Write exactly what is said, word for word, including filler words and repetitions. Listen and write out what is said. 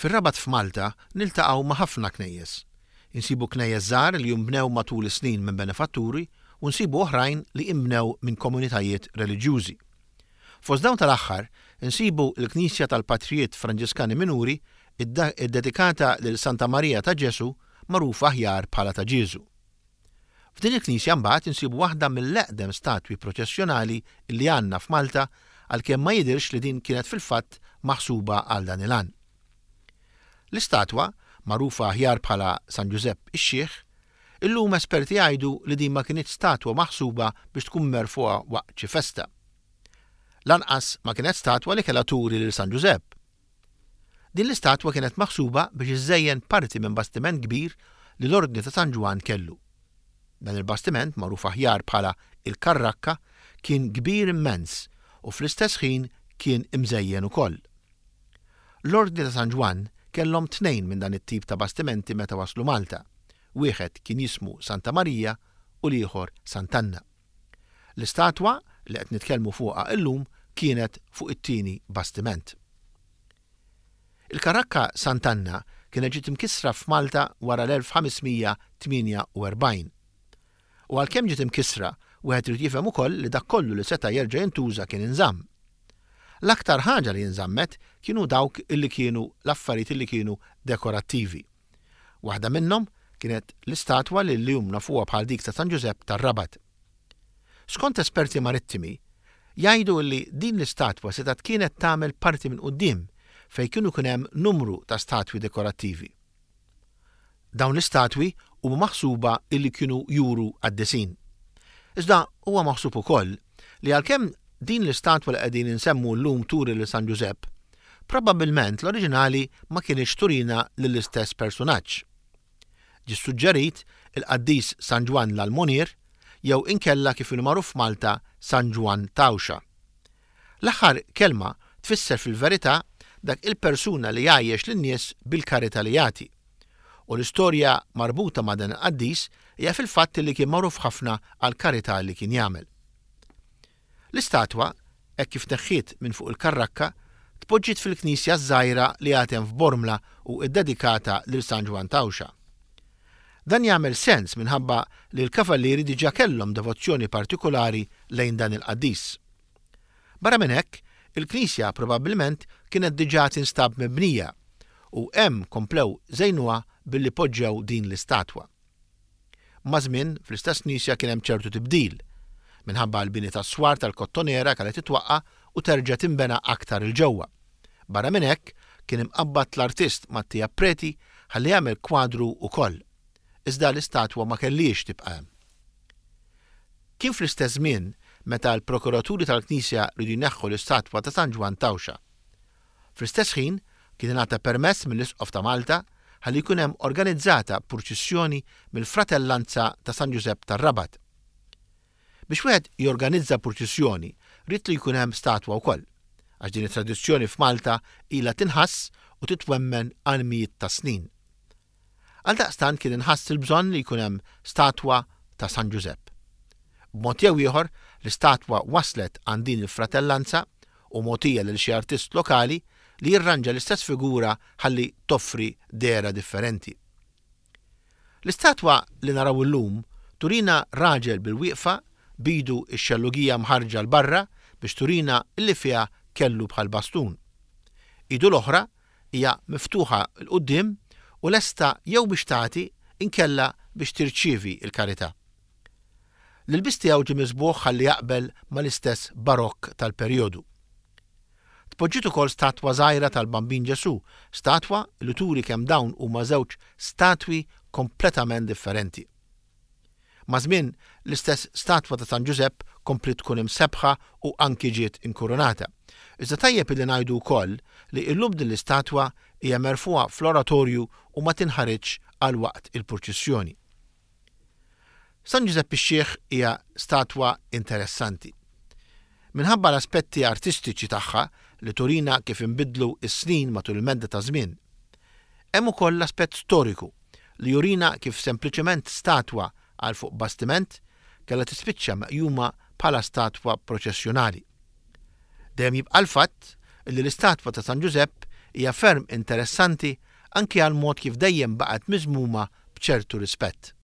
Fir-Rabat f'Malta niltaqgħu ma' ħafna knejjes. Insibu knejjes żgħar li jinbnew matul is-snin minn benefatturi u nsibu oħrajn li inbnew minn komunitajiet reliġjużi. Fost dawn tal-aħħar insibu l-Knisja tal-Patrijiet Franġiskani Minuri iddedikata lil Santa Marija ta' Ġesu, magħrufa aħjar bħala ta' Ġieżu. F'din il-knisja mbagħad insibu waħda mill-eqdem statwi proċessjonali li għandna f'Malta, għalkemm ma jidhirx li din kienet fil-fatt maħsuba għal dan il-għan. L-istatwa, magħrufa aħjar bħala San Ġużepp ix-Xiħ, illum esperti jgħidu li din ma kinitx statwa maħsuba biex tkun merfugħa waqt xi festa. Lanqas ma kienet statwa li kellha turi lil San Ġużepp. Din l-istatwa kienet maħsuba biex iżżejjen parti minn bastiment kbir li l-Ordni ta' San Ġwann kellu. Dan il-bastiment, magħruf aħjar bħala il-Karrakka, kien kbir immens u fl-istess ħin kien imżejjen ukoll. L-Ordni ta' San Ġwann kellhom tnejn minn dan it-tip ta' bastimenti meta waslu Malta. Wieħed kien jismu Santa Marija u l-ieħor Sant'Anna. L-istatwa li qed nitkellmu fuqha illum kienet fuq it-tieni bastiment. Il-Karakka Sant'Anna kienet ġiet imkissra f'Malta wara l-elf ħames mija tmienja u erbgħin. U għalkemm ġiet imkissra, wieħed irid jifhem ukoll li dak kollu li seta' jerġa' jintuża kien inżamm. L-aktar ħaġa li nżammet kienu dawk illi kienu l-affarijiet illi kienu dekorattivi. Waħda minnhom kienet l-istatwa li llum nafuha bħal dik ta' San Ġużepp tar-Rabat. Skont esperti marittimi, jgħidu li din l-istatwa setgħet kienet tagħmel parti minn quddiem fejn kienu kien hemm numru ta' statwi dekorattivi. Dawn l-istatwi huma maħsuba illi kienu juru qaddisin. Iżda huwa maħsub ukoll li għalkemm din l-istatwa li qegħdin insemmu llum turi lil San Ġużepp, probabbilment l-oriġinali ma kienx turina lill-istess personaġġ. Ġi suġġerit il-qaddis San Ġwann l-Almonier jew inkella, kif inhu magħruf Malta, San Ġwann Tawxa. L-aħħar kelma tfisser fil-verità dak il-persuna li jgħajjex lin-nies bil-karità li jagħti. U l-istorja marbuta ma' dan il-qaddis hija fil-fatt li kien magħruf ħafna għal karità li kien jagħmel. L-istatwa, hekk kif tneħħiet minn fuq il-karrakka, tpoġġiet fil-knisja żgħira li għad hemm f'Bormla u ddedikata lil San Ġwann Tawxa. Dan jagħmel sens minħabba li l-kavallieri diġà kellhom devozzjoni partikolari lejn dan il-qaddis. Barra minn hekk, il-knisja probabbilment kienet diġà tinstab mibnija u hemm komplew żejnuha billi poġġew din l-istatwa. Maż-żmien, fl-istess knisja kien hemm ċertu tibdil minħabba l-bini tas-swar tal-Kottonera kellha titwaqqa u terġa' tinbena aktar 'il ġewwa. Barra minn hekk kien imqabbad l-artist Mattia Preti ħalli jagħmel kwadru ukoll. Iżda l-istatwa ma kellix tibqa' hemm. Kien fl-istess żmien meta l-prokuraturi tal-Knisja riedu jneħħu l-istatwa ta' San Ġwann Tawxa. Fl-istess ħin kien ingħata permess mill-Isqof ta' Malta ħalli jkun hemm organizzata purċissjoni mill-Fratellanza ta' San Ġużepp tar-Rabat. Biex wieħed jorganizza purċissjoni, ried li jkun hemm statwa wkoll, għax din it-tradizzjoni f'Malta ilha tinħass u titwemmen għal mijiet ta' snin. Għaldaqstant kien inħass il-bżonn li jkun hemm statwa ta' San Ġużepp. B'mod jew ieħor, l-istatwa waslet għand din il-fratellanza u mogħtija lil xi artist lokali li jirranġa l-istess figura ħalli toffri dehra differenti. L-istatwa li naraw illum turina raġel bil-wieqfa, b'idu x-xellugija mħarġa 'l barra biex turina illi fiha kellu bħal bastun. Idu l-oħra hija miftuħa 'l quddiem u lesta jew biex tagħti inkella biex tirċievi il-karità. L-ilbis tiegħu ġie miżbugħ ħalli jaqbel mal-istess barokk tal-perjodu. Tpoġġiet ukoll statwa żgħira tal-Bambin Ġesu, statwa li turi kemm dawn huma żewġ statwi kompletament differenti. Maż-żmien, l-istess statwa ta' San Ġużepp kompliet tkun imsebħa u anki ġiet inkurunata. Iżda tajjeb li ngħidu wkoll li illum din l-istatwa hija merfugħa fl-oratorju u ma tinħariġ għal waqt il-purċissjoni. San Ġużepp ix-Xiħ hija statwa interessanti. Minħabba l-aspetti artistiċi tagħha li turina kif inbidlu s-snin matul il-medda ta' żmien. Hemm ukoll l-aspett storiku li jurina kif sempliċement statwa għal fuq bastiment kellha tispiċċa meqjuma bħala statwa proċessjonali. Dejjem jibqa' l-fatt li l-istatwa ta' San Ġużepp hija ferm interessanti anki għal mod kif dejjem baqgħet miżmuma b'ċertu rispett.